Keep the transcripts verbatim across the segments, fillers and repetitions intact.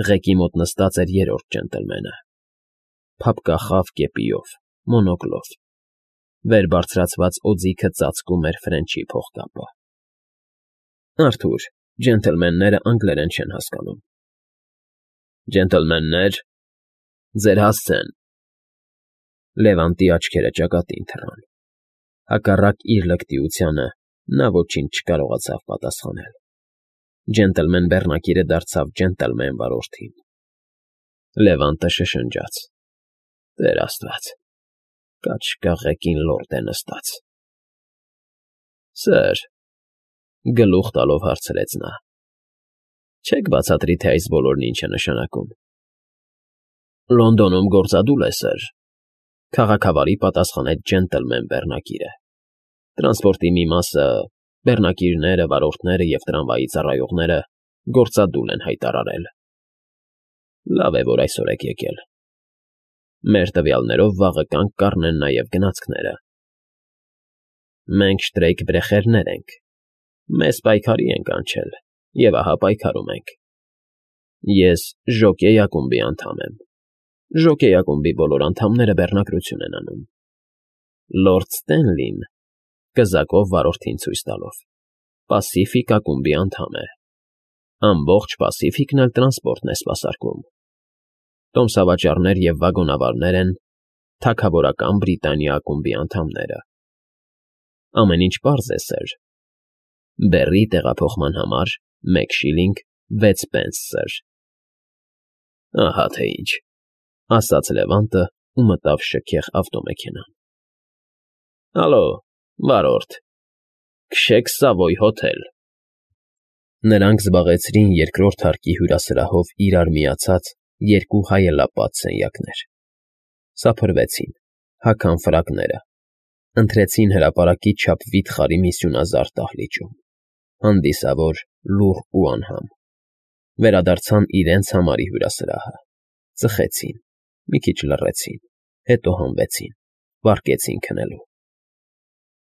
Ղեկի մոտ նստած էր երրորդ ջենտլմենը, փափկախավ կեպիով, մոնոկլով, վեր բարձրացված օձիքը ծածկում էր Ֆրենչի փողկապը։ ֊ Արթուր, ջենտլմենները անգլերեն չեն հասկանում։ ֊ Ջենտլմեններ, ձեր հասցեն… Լևանտի աչքերը ճակատին թռան, հակառակ իր լկտիությանը նա ոչինչ չկարողացավ պատասխանել։ Ջենտլմեն բեռնակիրը դարձավ ջենտլմեն վարորդին։ Լևանտը շշնջաց. ֊ Տեր աստված, կաչկա ղեկին լորդ է նստած… ֊ Սըր,֊ գլուխ տալով հարցրեց նա,֊ չե՞ք բացատրի, թե այս բոլորն ինչ է նշանակում։ ֊ Լոնդոնում գործադուլ է, սըր,֊ քաղաքավարի պատասխանեց ջենտլմեն բեռնակիրը։ Տրանսպորտի մի մասը, բեռնակիրները, վարորդները և տրամվայի ծառայողները գործադուլ են հայտարարել։ Լավ է, որ այսօր եք եկել։ Մեր տվյալներով վաղը կանգ կառնեն նաև գնացքները։ Մենք շտրեյք֊բրեխերներ ենք, մեզ պայքարի են կանչել, և ահա պայքարում ենք։ Ես Ժոկեյ ակումբի անդամ եմ։ Ժոկեյ ակումբի բոլոր անդամները բեռնակրություն են անում։ Լորդ Ստենլին, կզակով վարորդին ցույց տալով, Պասիֆիկ ակումբի անդամ է։ Ամբողջ Պասիֆիկն էլ տրանսպորտն է սպասարկում։ Տոմսավաճառներ և վագոնավարներ են Թագավորական Բրիտանիա ակումբի անդամները։ Ամեն ինչ պարզ է, սըր։ Բեռի տեղափոխման համար մեկ շիլինգ վեց պենս, սըր։ ֊ Ահա թե ինչ,֊ ասաց Լևանտը ու մտավ շքեղ ավտոմեքենան։ ֊ Ալո, վարորդ, քշեք Սավոյ հոթել… Նրանք զբաղեցրին երկրորդ հարկի հյուրասրահով իրար միացած երկու հայելապատ սենյակներ, սափրվեցին, հագան ֆրակները, ընթրեցին հրապարակի չափ վիթխարի մի սյունազարդ դահլիճում, հանդիսավոր, լուռ ու անհամ, վերադարձան իրենց համարի հյուրասրահը, ծխեցին, մի քիչ լռեցին, հետո հանվեցին, վարկեցին քնելու։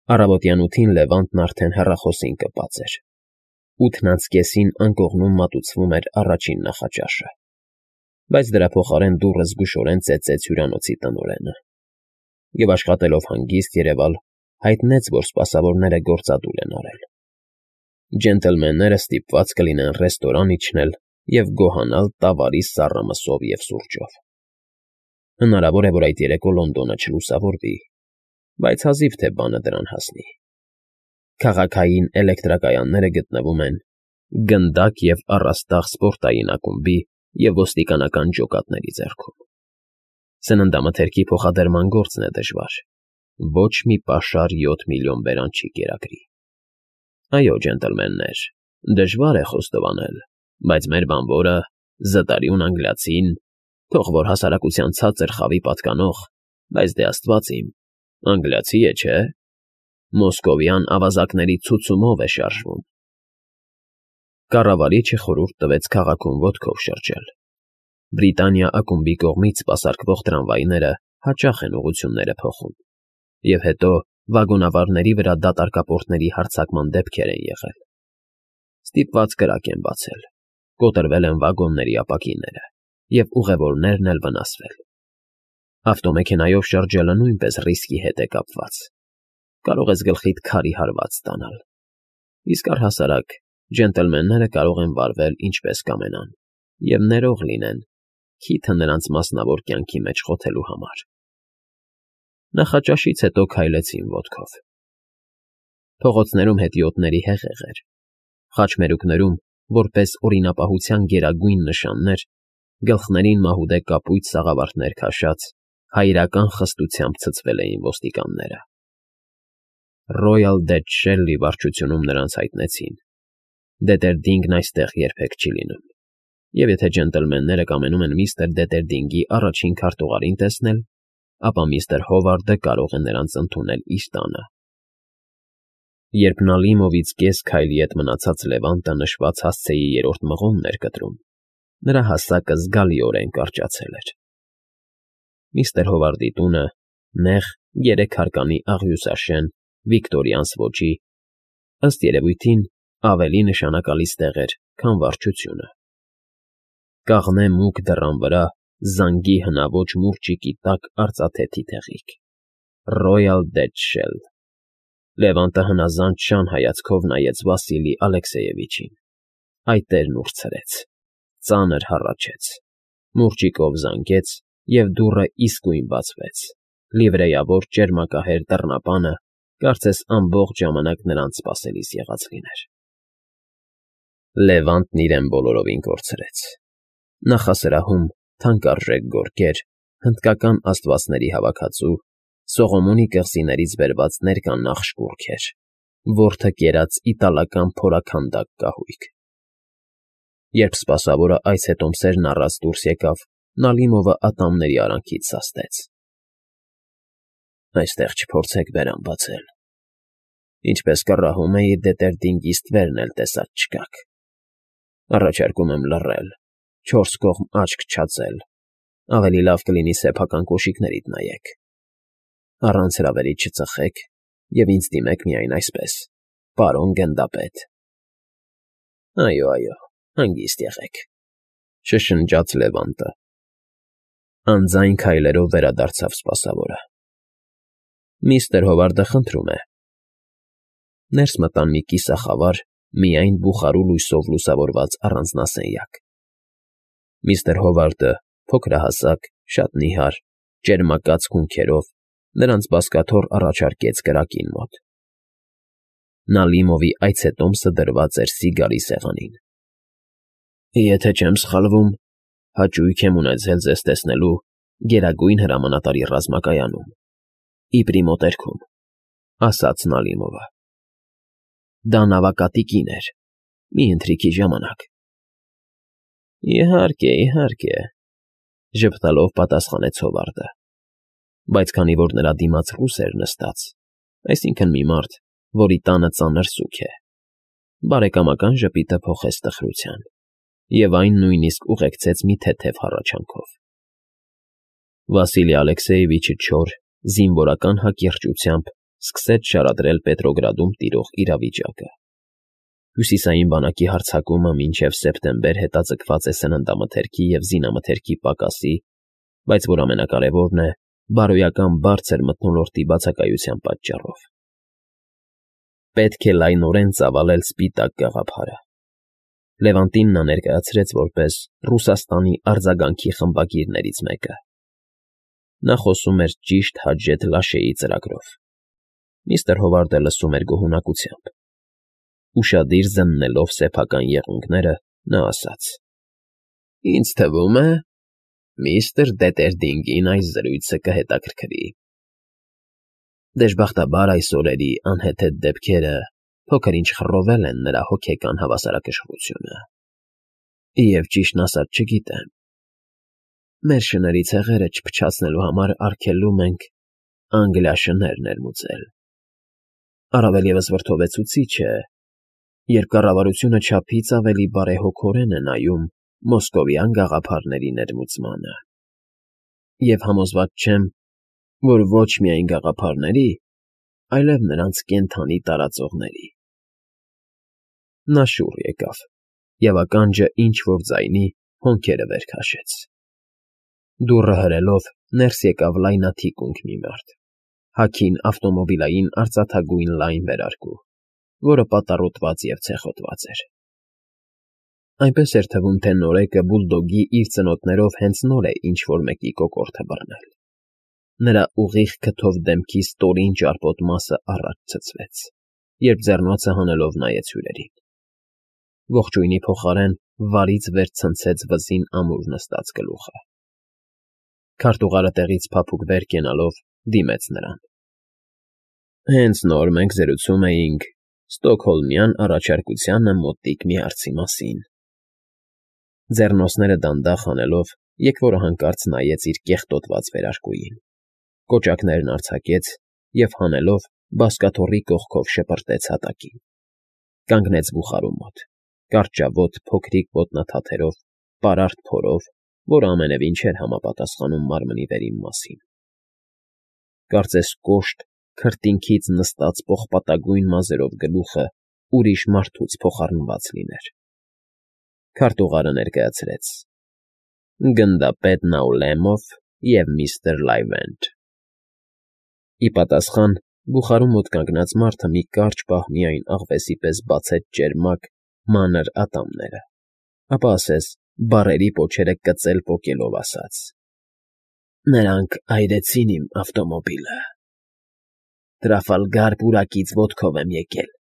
Առավոտյան ութին Լևանտն արդեն հեռախոսին կպած էր։ Ութն անց կեսին անկողնում մատուցվում էր առաջին նախաճաշը, բայց դրա փոխարեն դուռը զգուշորեն ծեծեց հյուրանոցի տնօրենը և, աշխատելով հանգիստ երևալ, հայտնեց, որ սպասավորները գործադուլ են արել։ Ջենտլմենները ստիպված կլինեն ռեստորան իջնել և գոհանալ տավարի սառը մսով և սուրճով։ Հնարավոր է, որ այդ երեկո Լոնդոնը չլուսավորվի, բայց հազիվ թե բանը դրան հասնի։ Քաղաքային էլեկտրակայանները գտնվում են գնդակ և առաստաղ սպորտային ակումբի և ոստիկանական ջոկատների ձեռքում։ Սննդամթերքի փոխադրման գործն է դժվար, ոչ մի պաշար յոթ միլիոն բերան չի կերակրի։ Այո, ջենտլմեններ, դժվար է խոստովանել, բայց մեր բանվորը, զտարյուն անգլիացին, թող որ հասարակության ցածր խավի պատկանող, բայց դե աստված իմ, անգլիացի է, չէ՞, մոսկովյան ավազակների ցուցումով է շարժվում։ Կառավարիչը խորհուրդ տվեց քաղաքում ոտքով շրջել։ Բրիտանիա ակումբի կողմից սպասարկվող տրամվայները հաճախ են ուղղությունները փոխում, և հետո վագոնավարների վրա դատարկապորտների հարձակման դեպքեր են եղել։ Ստիպված կրակ են բացել, կոտրվել են վագոնների ապակիները, և ուղևորներն էլ վնասվել։ Ավտոմեքենայով շրջելը նույնպես ռիսկի հետ է կապված։ Կարող ես գլխիդ քարի հարված ստանալ, իսկ առհասարակ ջենտլմենները կարող են վարվել ինչպես կամենան և ներող լինեն, քիթը նրանց մասնավոր կյանքի մեջ խոթելու համար։ Նախաճաշից հետո քայլեցին ոտքով։ Փողոցներում հետիոտների հեղեղ էր։ Խաչմերուկներում, որպես օրինապահության գերագույն նշաններ, գլխներին մահուդե կապույտ սաղավարտներ քաշած, հայրական խստությամբ ցցվել էին ոստիկանները։ Ռոյալ Դեթ Շելլի վարչությունում նրանց հայտնեցին. Դետերդինգն այստեղ երբեք չի լինում, և եթե ջենտլմենները կամենում են միստր Դետերդինգի առաջին քարտուղարին տեսնել, ապա միստր Հովարդը կարող է նրանց ընդունել իր տանը։ Երբ Նալիմովից կես քայլի հետ մնացած Լևանտը նշված հասցեի երրորդ մղոնն էր կտրում, նրա հասակը զգալիորեն կարճացել էր։ Միստր Հովարդի տունը, նեղ երեքհարկանի աղյուսաշեն վիկտորյանս ոճի, ըստ երևույթին, ավելի նշանակալից տեղ էր, քան վարչությունը։ Կաղնե մուգ դռան վրա զանգի հնաոճ մուրճիկի տակ արծաթե թիթեղիկ. Royal Dead Shell։ Լևանտը հնազանդ շան հայացքով նայեց Վասիլի Ալեքսեևիչին, այ տերն ուրցրեց, ծանր հառաչեց, մուրճիկով զանգեց, և դուռը իսկույն բացվեց, լիվրեյավոր ճերմակահեր դռնապանը կարծես ամբողջ ժամանակ նրանց սպասելիս եղած լիներ։ Լևանտն իրեն բոլորովին կորցրեց։ Նախասրահում թանկարժեք գորգեր, հնդկական աստվածների հավաքածու, Սողոմոնի կղզիներից բերված ներկանախշ կուռքեր, որդը կերած իտալական փորաքանդակ կահույք։ Երբ սպասավորը այս հետոմսերն առած դուրս եկավ, Նալիմովը ատամների արանքից սաստեց։ Այստեղ չփորձեք բերան բացել։ Ինչպես կռահում էի, դետերդինգիստներն էլ տեսած չկաք։ Առաջարկում եմ լռել, չորս կողմ աչք չածել, ավելի լավ կլինի սեփական կոշիկներիդ նայեք, առանց հրավերի չծխեք և ինձ դիմեք միայն այսպես. պարոն գնդապետ։ Այո, այո, հանգիստ եղեք, շշնջաց Լևանտը։ Անձայն քայլերով վերադարձավ սպասավորը։ Միստր Հովարդը խնդրում է։ Ներս մտան մի կիսախավար, միայն բուխարու լույսով լուսավորված առանձնասենյակ։ Միստր Հովարդը, փոքրահասակ, շատ նիհար, ճերմակած քունքերով, նրանց բազկաթոռ առաջարկեց կրակին մոտ։ Նալիմովի այցետոմսը դրված էր սիգարի սեղանին։ Եթե չեմ սխալվում, հաճույք եմ ունեցել ձեզ տեսնելու Գերագույն Հրամանատարի ռազմակայանում, իպրի մոտերքում, ասաց Նալիմովը։ Դա նավակատի կին էր, մի ընթրիքի ժամանակ։ Իհարկե, իհարկե, ժպտալով պատասխանեց Հովարդը, բայց քանի որ նրա դիմաց ռուս էր նստած, այսինքն մի մարդ, որի տանը ծանր սուգ է, բարեկամական ժպիտը փոխեց տխրության, և այն նույնիսկ ուղեկցեց մի թեթև հառաչանքով։ Վասիլի Ալեքսեևիչը չոր, զինվորական հակիրճությամբ սկսեց շարադրել Պետրոգրադում տիրող իրավիճակը։ Հյուսիսային բանակի հարձակումը մինչև սեպտեմբեր հետաձգված է սննդամթերքի և զինամթերքի պակասի, բայց որ ամենակարևորն է, բարոյական բարձր մթնոլորտի բացակայության պատճառով։ Պետք է լայնորեն ծավալել Սպիտակ գաղափարը։ Լևանտին նա ներկայացրեց որպես Ռուսաստանի արձագանքի խմբագիրներից մեկը։ Նա խոսում էր ճիշտ Հաջեթ Լաշեի ծրագրով։ Միստր Հովարդը լսում էր գոհունակությամբ։ Ուշադիր զննելով սեփական եղունգները, նա ասաց. Ինձ թվում է, միստր Դետերդինգին այս զրույցը կհետաքրքրի։ Դժբախտաբար այս օրերի անհեթեթ դեպքերը փոքր-ինչ խռովել են նրա հոգեկան հավասարակշռությունը։ Եվ ճիշտն ասած չգիտեմ։ Մեր շների ցեղերը չփչացնելու համար արգելում ենք Անգլիա շներ ներմուծել։ Առավել ևս վրդովեցուցիչ է, երբ կառավարությունը չափից ավելի բարեհոգորեն է նայում մոսկովյան գաղափարների ներմուծմանը։ Եվ համոզված չեմ, որ ոչ միայն գաղափարների, այլև նրանց կենդանի տարածողների։ Նա շուռ եկավ, և ականջը ինչ-որ ձայնի հոնքերը վեր քաշեց։ Դուռը հրելով ներս եկավ լայնաթիկունք մի մարդ, հագին ավտոմոբիլային արծաթագույն լայն վերարկու, որը պատառոտված և ցեխոտված էր։ Այնպես էր թվում, թե նորեկը բուլդոգի իր ծնոտներով հենց նոր է ինչ֊որ մեկի կոկորդը բռնել։ Նրա ուղիղ քթով դեմքի ստորին ճարպոտ մասը առաջ ցցվեց, երբ ձեռնոցը հանելով նայեց հյուրերին։ Ողջույնի փոխարեն վարից վեր ցնցեց վզին ամուր նստած գլուխը։ Քարտուղարը տեղից փափուկ վեր կենալով դիմեց նրան։ Հենց նոր մենք զրուցում էինք Ստոկհոլմյան առաջարկությանը մոտիկ մի հարցի մասին։ Ձեռնոցները դանդաղ հանելով, եկվորը հանկարծ նայեց իր կեղտոտված վերարկուին, կոճակներն արձակեց և հանելով բազկաթոռի կողքով շպրտեց հատակին։ Կանգնեց բուխարու մոտ, կարճավոտ փոքրիկ ոտնաթաթերով, պարարտ փորով, որը ամենևին չէր համապատասխանում մարմնի վերին մասին։ Կարծես կոշտ, քրտինքից նստած պողպատագույն մազերով գլուխը ուրիշ մարդուց փոխառնված լիներ։ Քարտուղարը ներկայացրեց Գնդապետ Նաուլեմով և միստր Լայվենդ։ Ի պատասխան բուխարու մոտ կանգնած մարդը մի կարճ պահ միայն աղվեսի պես բացեց ճերմակ, մանր ատամները, ապա ասես բառերի պոչերը կծել֊պոկելով ասաց. ֊ Նրանք այրեցին իմ ավտոմոբիլը… Տրաֆալգար պուրակից ոտքով եմ եկել…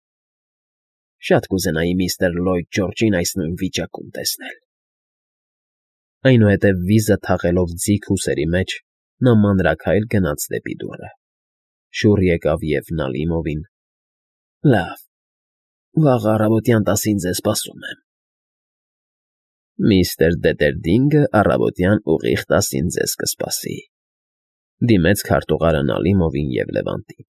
Շատ կուզենայի միստր Լլոյդ Ջորջին այս նույն վիճակում տեսնել… Այնուհետև վիզը թաղելով ձիգ ուսերի մեջ, նա մանրաքայլ գնաց դեպի դուռը, շուռ եկավ և Նալիմովին. ֊ Լավ, վաղը առավոտյան տասին ձեզ սպասում եմ… Միստր Դետերդինգը առավոտյան ուղիղ տասին ձեզ կսպասի,֊ դիմեց քարտուղարը Նալիմովին և Լևանտին։